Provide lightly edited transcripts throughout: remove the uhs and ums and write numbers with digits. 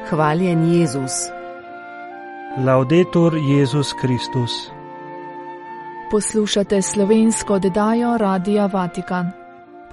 Hvaljen Jezus. Laudetur Jezus Kristus. Poslušate slovensko oddajo Radia Vatikan.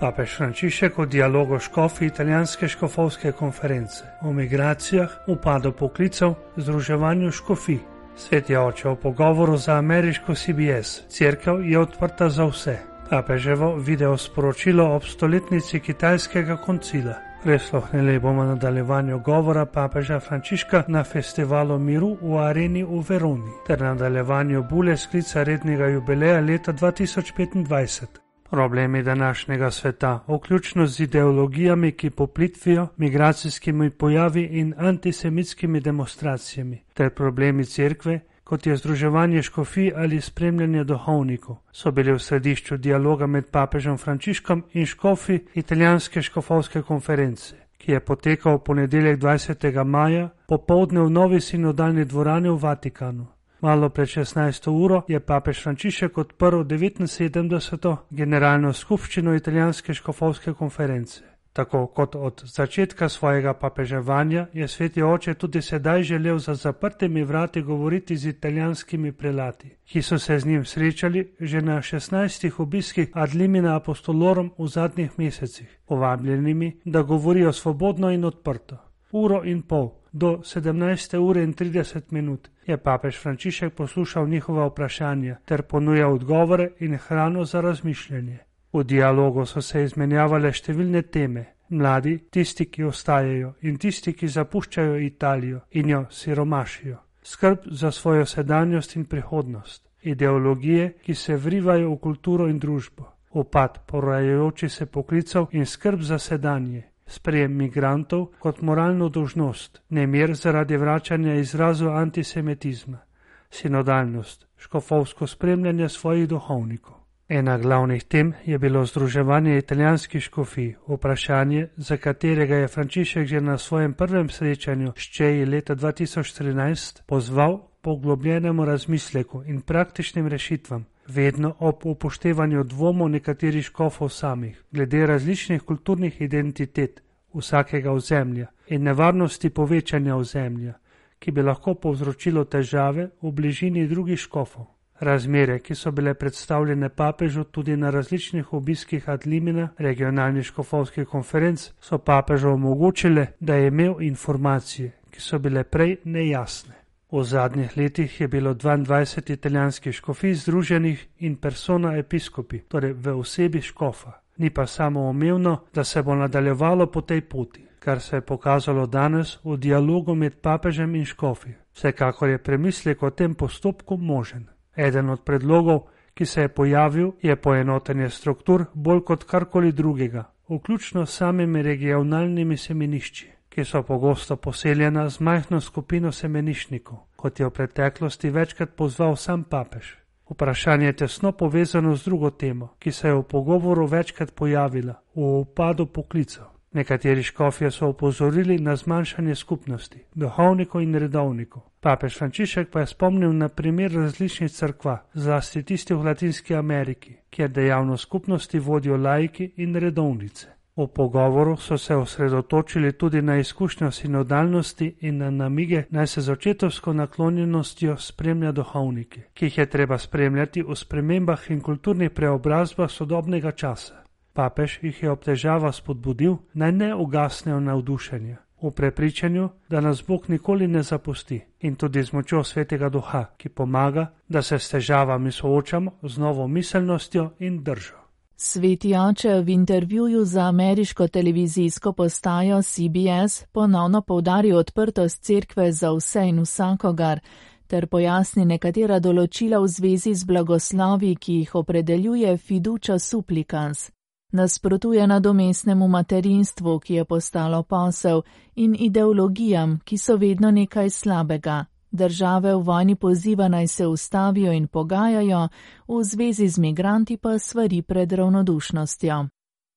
Papež Frančišek o dialogu škofi italijanske škofovske konference, o migracijah, upadu poklicev, združevanju škofij. Sveti oče o pogovoru za ameriško CBS. Cerkev je odprta za vse. Papeževo video sporočilo ob stoletnici kitajskega koncila. Prisluhnili bomo nadaljevanju govora papeža Frančiška na festivalu miru v areni v Veroni ter nadaljevanju bule sklica rednega jubileja leta 2025. Problemi današnjega sveta, vključno z ideologijami, ki poplitvijo, migracijskimi pojavi in antisemitskimi demonstracijami, ter problemi cerkve, kot je združevanje škofij ali spremljanje duhovnikov, so bili v središču dialoga med papežem Frančiškom in škofi italijanske škofovske konference, ki je potekal v ponedeljek 20. maja popoldne v novi sinodalni dvorani v Vatikanu. Malo pred 16. uro je papež Frančišek odprl 79. generalno skupščino italijanske škofovske konference. Tako kot od začetka svojega papeževanja je sveti oče tudi sedaj želel za zaprtimi vrati govoriti z italijanskimi prelati, ki so se z njim srečali že na 16 obiskih ad limina apostolorum v zadnjih mesecih, povabljenimi, da govorijo svobodno in odprto. Uro in pol, do 17. ure in 30 minut, je papež Frančišek poslušal njihova vprašanja ter ponujal odgovore in hrano za razmišljanje. V dialogu so se izmenjavale številne teme, mladi, tisti, ki ostajajo in tisti, ki zapuščajo Italijo in jo siromašijo, skrb za svojo sedanjost in prihodnost, ideologije, ki se vrivajo v kulturo in družbo, upad porajajoči se poklicev in skrb za sedanje, sprejem migrantov kot moralno dolžnost, nemir zaradi vračanja izrazov antisemitizma, sinodalnost, škofovsko spremljanje svojih duhovnikov. Ena glavnih tem je bilo združevanje italijanskih škofij, vprašanje, za katerega je Frančišek že na svojem prvem srečanju s Čeji leta 2013 pozval poglobljenemu razmisleku in praktičnim rešitvam, vedno ob upoštevanju dvomov nekaterih škofov samih, glede različnih kulturnih identitet vsakega ozemlja in nevarnosti povečanja ozemlja, ki bi lahko povzročilo težave v bližini drugih škofov. Razmere, ki so bile predstavljene papežu tudi na različnih obiskih ad limina regionalnih škofovskih konferenc, so papežu omogočile, da je imel informacije, ki so bile prej nejasne. V zadnjih letih je bilo 22 italijanskih škofij združenih in persona episkopi, torej v osebi škofa. Ni pa samoumevno, da se bo nadaljevalo po tej poti, kar se je pokazalo danes v dialogu med papežem in škofi. Vsekakor je premislek o tem postopku možen. Eden od predlogov, ki se je pojavil, je poenotenje struktur bolj kot karkoli drugega, vključno s samimi regionalnimi semenišči, ki so pogosto poseljena z majhno skupino semeniščnikov, kot je v preteklosti večkrat pozval sam papež. Vprašanje je tesno povezano z drugo temo, ki se je v pogovoru večkrat pojavila, v upadu poklicev. Nekateri škofje so opozorili na zmanjšanje skupnosti, duhovnikov in redovnikov. Papež Frančišek pa je spomnil na primer različnih cerkva, zlasti tistih v Latinski Ameriki, kjer dejavnost skupnosti vodijo laiki in redovnice. V pogovoru so se osredotočili tudi na izkušnjo sinodalnosti in na namige, naj se z očetovsko naklonjenostjo spremlja duhovnike, ki jih je treba spremljati v spremembah in kulturnih preobrazbah sodobnega časa. Papež jih je ob težavah spodbudil, naj ne ugasnejo navdušenja, v prepričanju, da nas Bog nikoli ne zapusti, in tudi z močjo Svetega Duha, ki pomaga, da se s težavami soočamo z novo miselnostjo in držo. Sveti oče v intervjuju za ameriško televizijsko postajo CBS ponovno poudari odprtost cerkve za vse in vsakogar, ter pojasni nekatera določila v zvezi z blagoslovi, ki jih opredeljuje fiducia supplicans. Nasprotuje nadomestnemu materinstvu, ki je postalo posel, in ideologijam, ki so vedno nekaj slabega. Države v vojni poziva naj se ustavijo in pogajajo, v zvezi z migranti pa svari pred ravnodušnostjo.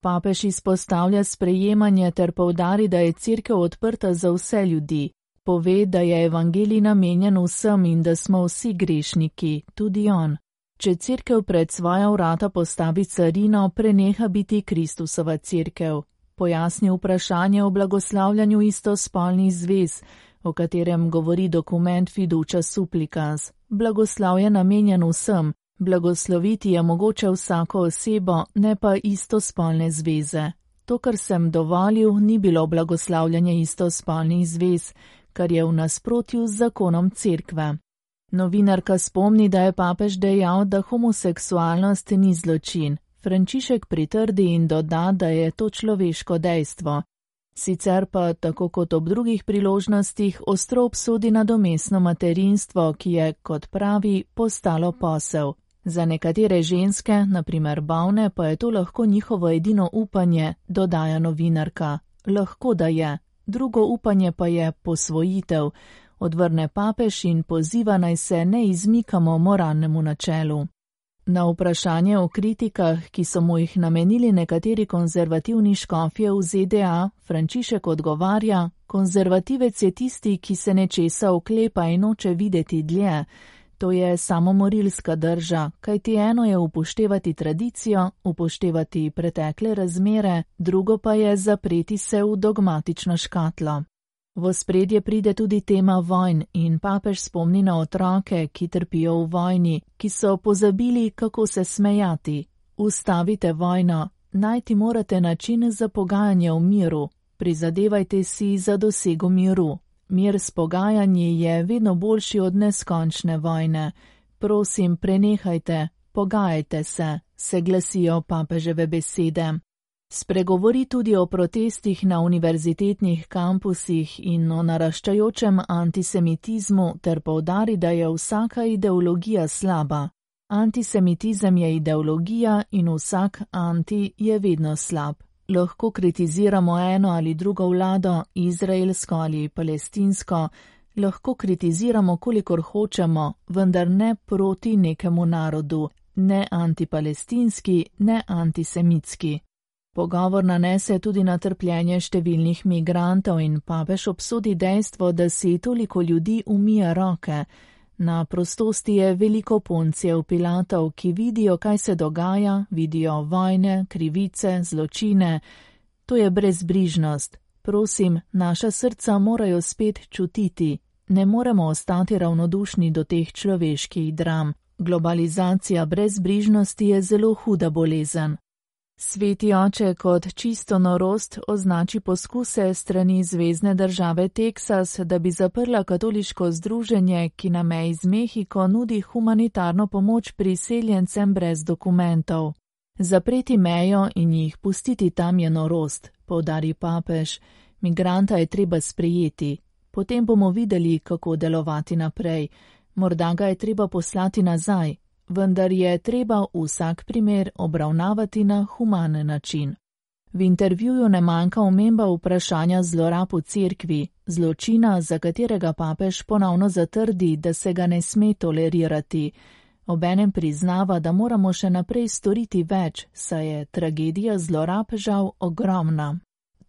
Papež izpostavlja sprejemanje ter poudari, da je cerkev odprta za vse ljudi. Pove, da je evangelij namenjen vsem in da smo vsi grešniki, tudi on. Če cerkev pred svoja vrata postavi carino, preneha biti Kristusova cerkev. Pojasni vprašanje o blagoslavljanju istospolnih zvez, o katerem govori dokument Fiducia Supplicans. Blagoslav je namenjen vsem, blagosloviti je mogoče vsako osebo, ne pa istospolne zveze. To, kar sem dovolil, ni bilo blagoslavljanje istospolnih zvez, kar je v nasprotju z zakonom cerkve. Novinarka spomni, da je papež dejal, da homoseksualnost ni zločin. Frančišek pritrdi in doda, da je to človeško dejstvo. Sicer pa, tako kot ob drugih priložnostih, ostro obsodi nadomestno materinstvo, ki je, kot pravi, postalo posel. Za nekatere ženske, na primer bolne, pa je to lahko njihovo edino upanje, dodaja novinarka. Lahko da je. Drugo upanje pa je posvojitev. Odvrne papež in poziva, naj se ne izmikamo moralnemu načelu. Na vprašanje o kritikah, ki so mu jih namenili nekateri konzervativni škofje v ZDA, Frančišek odgovarja: konzervativec je tisti, ki se nečesa oklepa in noče videti dlje. To je samomorilska drža, kajti eno je upoštevati tradicijo, upoštevati pretekle razmere, drugo pa je zapreti se v dogmatično škatlo. V ospredje pride tudi tema vojn in papež spomni na otroke, ki trpijo v vojni, ki so pozabili, kako se smejati. Ustavite vojno, najti morate način za pogajanje v miru, prizadevajte si za dosego miru. Mir s pogajanji je vedno boljši od neskončne vojne. Prosim, prenehajte, pogajajte se glasijo papeževe besede. Spregovori tudi o protestih na univerzitetnih kampusih in o naraščajočem antisemitizmu ter poudari, da je vsaka ideologija slaba. Antisemitizem je ideologija in vsak anti je vedno slab. Lahko kritiziramo eno ali drugo vlado, izraelsko ali palestinsko, lahko kritiziramo, kolikor hočemo, vendar ne proti nekemu narodu, ne antipalestinski, ne antisemitski. Pogovor nanese tudi na trpljenje številnih migrantov in papež obsodi dejstvo, da si toliko ljudi umije roke. Na prostosti je veliko Poncijev Pilatov, ki vidijo, kaj se dogaja, vidijo vojne, krivice, zločine. To je brezbrižnost. Prosim, naša srca morajo spet čutiti. Ne moremo ostati ravnodušni do teh človeških dram. Globalizacija brezbrižnosti je zelo huda bolezen. Sveti oče kot čisto norost označi poskuse strani zvezne države Teksas, da bi zaprla katoliško združenje, ki na meji z Mehiko nudi humanitarno pomoč priseljencem brez dokumentov. Zapreti mejo in jih pustiti tam je norost, poudari papež. Migranta je treba sprejeti. Potem bomo videli, kako delovati naprej. Morda ga je treba poslati nazaj. Vendar je treba vsak primer obravnavati na humanen način. V intervjuju ne manjka omemba vprašanja zlorab v cerkvi, zločina, za katerega papež ponovno zatrdi, da se ga ne sme tolerirati. Obenem priznava, da moramo še naprej storiti več, saj je tragedija zlorab žal ogromna.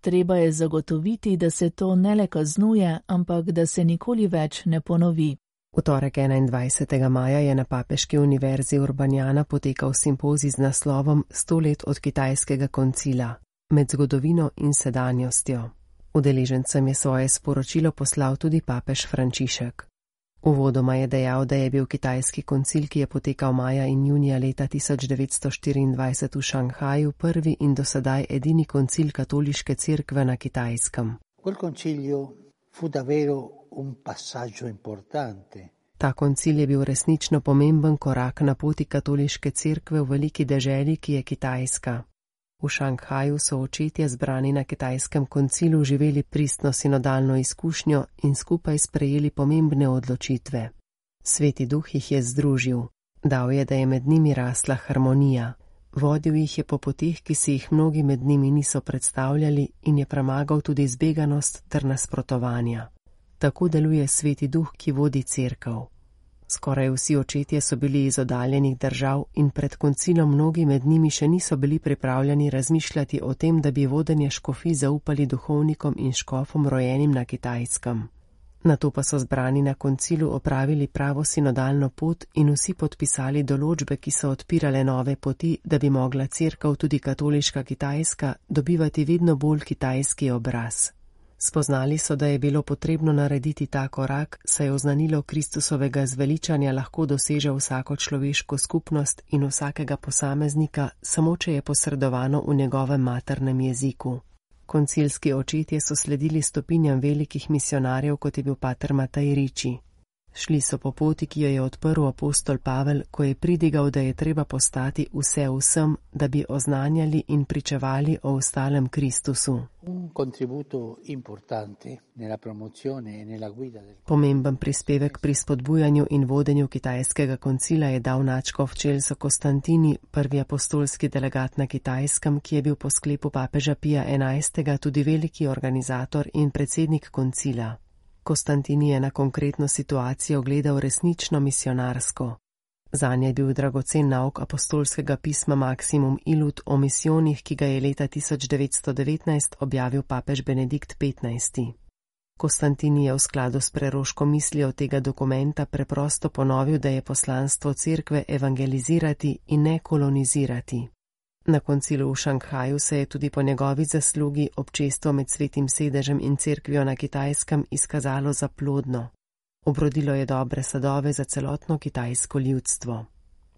Treba je zagotoviti, da se to ne le kaznuje, ampak da se nikoli več ne ponovi. V torek 21. maja je na Papeški univerzi Urbanjana potekal simpozij z naslovom 100 let od kitajskega koncila, med zgodovino in sedanjostjo. Udeležencem je svoje sporočilo poslal tudi papež Frančišek. Uvodoma je dejal, da je bil kitajski koncil, ki je potekal maja in junija leta 1924 v Šanghaju, prvi in dosedaj edini koncil katoliške cerkve na Kitajskem. Ta koncil je bil resnično pomemben korak na poti katoliške cerkve v veliki deželi, ki je Kitajska. V Šanghaju so očetje zbrani na kitajskem koncilu živeli pristno sinodalno izkušnjo in skupaj sprejeli pomembne odločitve. Sveti duh jih je združil, dal je, da je med njimi rasla harmonija. Vodil jih je po poteh, ki si jih mnogi med njimi niso predstavljali in je premagal tudi zbeganost ter nasprotovanja. Tako deluje Sveti duh, ki vodi cerkev. Skoraj vsi očetje so bili iz oddaljenih držav in pred koncilom mnogi med njimi še niso bili pripravljeni razmišljati o tem, da bi vodenje škofij zaupali duhovnikom in škofom rojenim na Kitajskem. Nato pa so zbrani na koncilu opravili pravo sinodalno pot in vsi podpisali določbe, ki so odpirale nove poti, da bi mogla cerkev, tudi katoliška Kitajska, dobivati vedno bolj kitajski obraz. Spoznali so, da je bilo potrebno narediti ta korak, saj oznanilo Kristusovega zveličanja lahko doseže vsako človeško skupnost in vsakega posameznika, samo če je posredovano v njegovem maternem jeziku. Koncilski očetje so sledili stopinjam velikih misionarjev, kot je bil pater Matej Ricci. Šli so po poti, ki jo je odprl apostol Pavel, ko je pridigal, da je treba postati vse vsem, da bi oznanjali in pričevali o ostalem Kristusu. Pomemben prispevek pri spodbujanju in vodenju kitajskega koncila je dal nadškof Celso Costantini, prvi apostolski delegat na Kitajskem, ki je bil po sklepu papeža Pija XI. Tudi veliki organizator in predsednik koncila. Costantini je na konkretno situacijo gledal resnično misionarsko. Zanje je bil dragocen nauk apostolskega pisma Maximum Illud o misijonih, ki ga je leta 1919 objavil papež Benedikt XV. Costantini je v skladu s preroško mislijo tega dokumenta preprosto ponovil, da je poslanstvo cerkve evangelizirati in ne kolonizirati. Na koncilu v Šanghaju se je tudi po njegovi zaslugi občestvo med Svetim sedežem in cerkvijo na Kitajskem izkazalo za plodno. Obrodilo je dobre sadove za celotno kitajsko ljudstvo.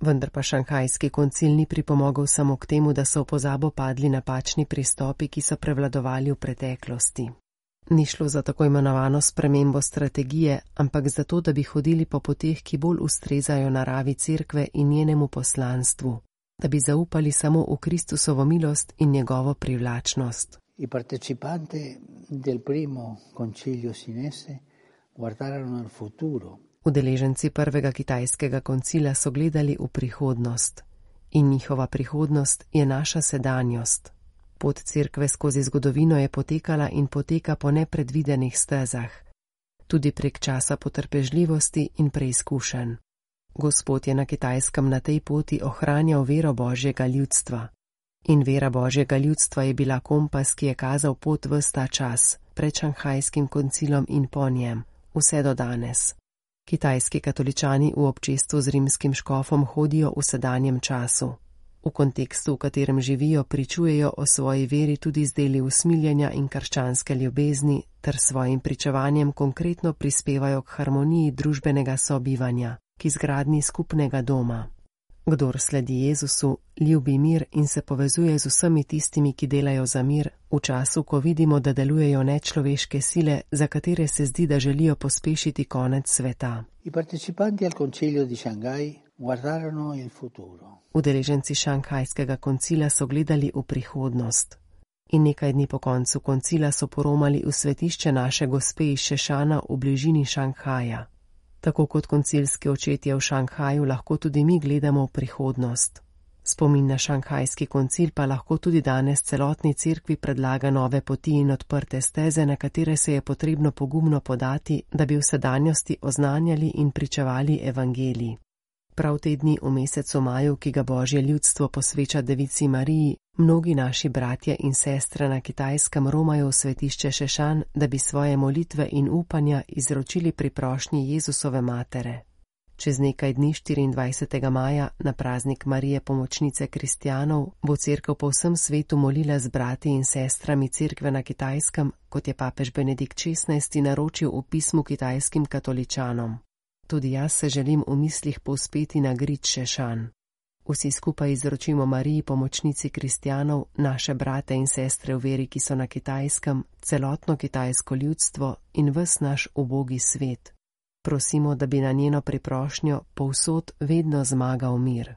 Vendar pa šanghajski koncil ni pripomogel samo k temu, da so v pozabo padli napačni pristopi, ki so prevladovali v preteklosti. Ni šlo za tako imenovano spremembo strategije, ampak za to, da bi hodili po poteh, ki bolj ustrezajo naravi cerkve in njenemu poslanstvu. Da bi zaupali samo v Kristusovo milost in njegovo privlačnost. Udeleženci prvega kitajskega koncila so gledali v prihodnost. In njihova prihodnost je naša sedanjost. Pot cerkve skozi zgodovino je potekala in poteka po nepredvidenih stezah. Tudi prek časa potrpežljivosti in preizkušenj. Gospod je na Kitajskem na tej poti ohranjal vero Božjega ljudstva. In vera Božjega ljudstva je bila kompas, ki je kazal pot ves ta čas, pred šanghajskim koncilom in po njem, vse do danes. Kitajski katoličani v občestvu z rimskim škofom hodijo v sedanjem času. V kontekstu, v katerem živijo, pričujejo o svoji veri tudi z deli usmiljenja in krščanske ljubezni, ter svojim pričevanjem konkretno prispevajo k harmoniji družbenega sobivanja, k izgradnji skupnega doma. Kdor sledi Jezusu, ljubi mir in se povezuje z vsemi tistimi, ki delajo za mir, v času, ko vidimo, da delujejo nečloveške sile, za katere se zdi, da želijo pospešiti konec sveta. Udeleženci šanghajskega koncila so gledali v prihodnost. In nekaj dni po koncu koncila so poromali v svetišče naše gospe iz Šešana v bližini Šanghaja. Tako kot koncilski očetje v Šanghaju lahko tudi mi gledamo v prihodnost. Spomin na šanghajski koncil pa lahko tudi danes celotni cerkvi predlaga nove poti in odprte steze, na katere se je potrebno pogumno podati, da bi v sedanjosti oznanjali in pričevali evangelij. Prav te dni v mesecu maju, ki ga Božje ljudstvo posveča Devici Mariji, mnogi naši bratje in sestre na Kitajskem romajo v svetišče Šešan, da bi svoje molitve in upanja izročili pri prošnji Jezusove matere. Čez nekaj dni 24. maja, na praznik Marije pomočnice kristjanov, bo cerkev po vsem svetu molila z brati in sestrami cerkve na Kitajskem, kot je papež Benedikt XVI naročil v pismu kitajskim katoličanom. Tudi jaz se želim v mislih povzpeti na grič Šešan. Vsi skupaj izročimo Mariji pomočnici kristjanov, naše brate in sestre v veri, ki so na Kitajskem, celotno kitajsko ljudstvo in ves naš ubogi svet. Prosimo, da bi na njeno priprošnjo povsod vedno zmagal mir.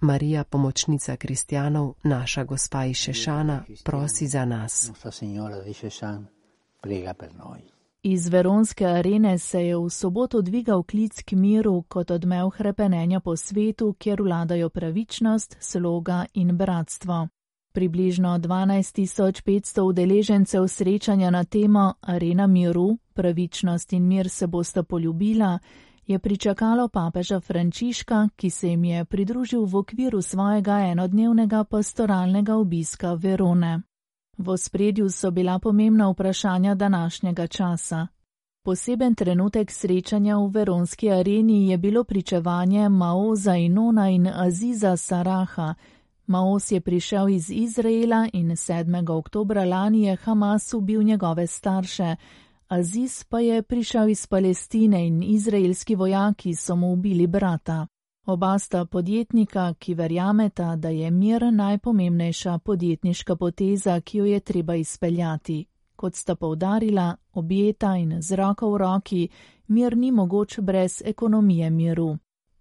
Marija, pomočnica kristjanov, naša gospa iz Šešana, prosi za nas. Iz Veronske arene se je v soboto dvigal klic k miru kot odmev hrepenenja po svetu, kjer vladajo pravičnost, sloga in bratstvo. Približno 12.500 udeležencev srečanja na temo Arena miru, pravičnost in mir se bosta poljubila, je pričakalo papeža Frančiška, ki se jim je pridružil v okviru svojega enodnevnega pastoralnega obiska Verone. V ospredju so bila pomembna vprašanja današnjega časa. Poseben trenutek srečanja v Veronski areni je bilo pričevanje Mao Zainona in Aziza Saraha, Maoz je prišel iz Izraela in 7. oktobra lani je Hamas ubil njegove starše. Aziz pa je prišel iz Palestine in izraelski vojaki so mu ubili brata. Oba sta podjetnika, ki verjameta, da je mir najpomembnejša podjetniška poteza, ki jo je treba izpeljati. Kot sta poudarila, objeta in z roko v roki, mir ni mogoč brez ekonomije miru.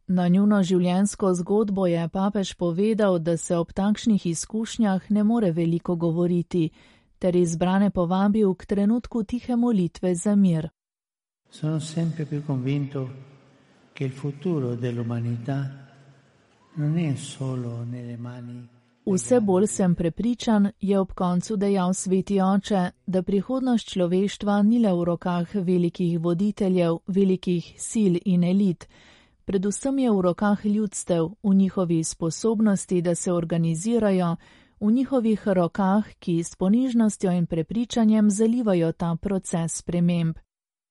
Na njuno življenjsko zgodbo je papež povedal, da se ob takšnih izkušnjah ne more veliko govoriti, ter izbrane povabil k trenutku tihe molitve za mir. Sono sempre più convinto che il futuro dell'umanità non è solo nelle mani. Vse bolj sem prepričan, je ob koncu dejal sveti oče, da prihodnost človeštva ni le v rokah velikih voditeljev, velikih sil in elit. Predvsem je v rokah ljudstev, v njihovi sposobnosti, da se organizirajo, v njihovih rokah, ki s ponižnostjo in prepričanjem zalivajo ta proces sprememb.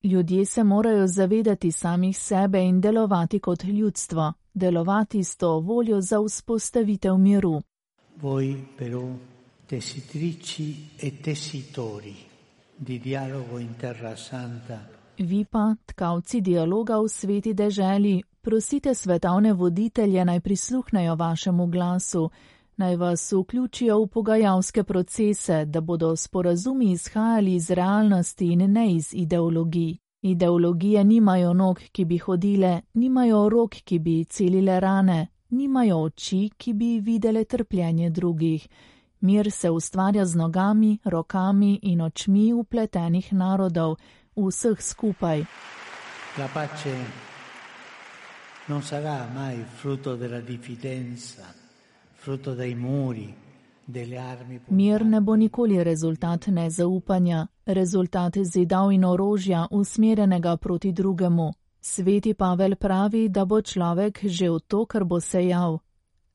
Ljudje se morajo zavedati samih sebe in delovati kot ljudstvo, delovati s to voljo za vzpostavitev miru. Voi però tessitrici e tessitori di dialogo in Terra Santa. Vi pa, tkavci dialoga v sveti deželi, prosite svetovne voditelje naj prisluhnejo vašemu glasu, naj vas vključijo v pogajalske procese, da bodo sporazumi izhajali iz realnosti in ne iz ideologij. Ideologije nimajo nog, ki bi hodile, nimajo rok, ki bi celile rane, nimajo oči, ki bi videle trpljenje drugih. Mir se ustvarja z nogami, rokami in očmi upletenih narodov, vseh skupaj. La pace non sarà mai frutto della diffidenza, frutto dei muri, delle armi. Mir ne bo nikoli rezultat nezaupanja, rezultat zidav in orožja usmerjenega proti drugemu. Sveti Pavel pravi, da bo človek žel to, kar bo sejal.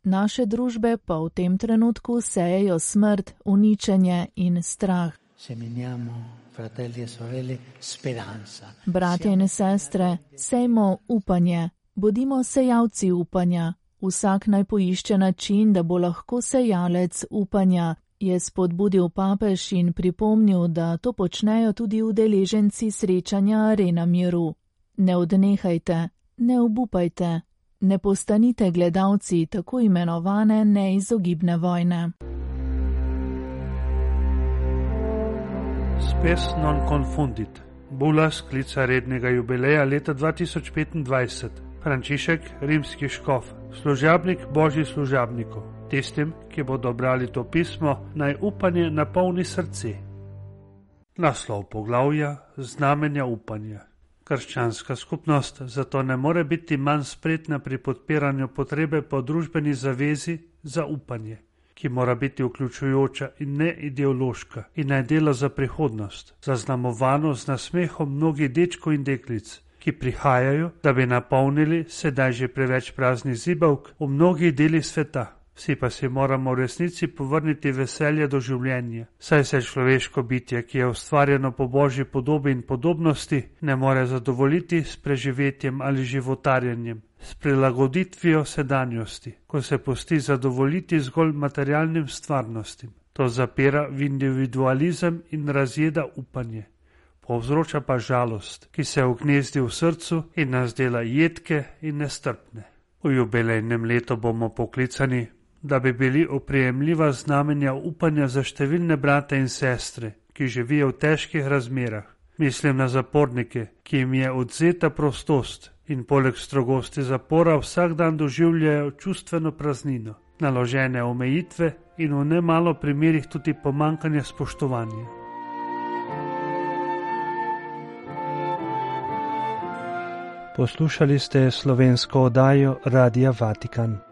Naše družbe pa v tem trenutku sejejo smrt, uničenje in strah. Seminiamo, fratelli e sorelle, speranza. Bratje in sestre, sejmo upanje, bodimo sejalci upanja. Vsak naj poišče način, da bo lahko sejalec upanja, je spodbudil papež in pripomnil, da to počnejo tudi udeleženci srečanja Arena miru. Ne odnehajte, ne obupajte, ne postanite gledalci tako imenovane neizogibne vojne. Spes non confundit. Bula sklica rednega jubileja leta 2025. Frančišek, rimski škof, služabnik božji služabnikov. Tistim, ki bodo brali to pismo, naj upanje napolni srce. Naslov poglavja: znamenja upanja. Krščanska skupnost zato ne more biti manj spretna pri podpiranju potrebe po družbeni zavezi za upanje, ki mora biti vključujoča in ne ideološka in naj dela za prihodnost, zaznamovano z nasmehom mnogih dečkov in deklic, ki prihajajo, da bi napolnili sedaj že preveč praznih zibavk v mnogih delih sveta. Vsi pa si moramo v resnici povrniti veselje do življenja, saj se človeško bitje, ki je ustvarjeno po božji podobi in podobnosti, ne more zadovoljiti s preživetjem ali životarjenjem, s prilagoditvijo sedanjosti, ko se pusti zadovoljiti zgolj materialnim stvarnostim. To zapira v individualizem in razjeda upanje. Povzroča pa žalost, ki se ugnezdi v srcu in nas dela jedke in nestrpne. V jubilejnem letu bomo poklicani, da bi bili oprijemljiva znamenja upanja za številne brate in sestre, ki živijo v težkih razmerah. Mislim na zapornike, ki jim je odzeta prostost in poleg strogosti zapora vsak dan doživljajo čustveno praznino, naložene omejitve in v nemalo primerih tudi pomanjkanje spoštovanja. Poslušali ste slovensko oddajo Radia Vatikan.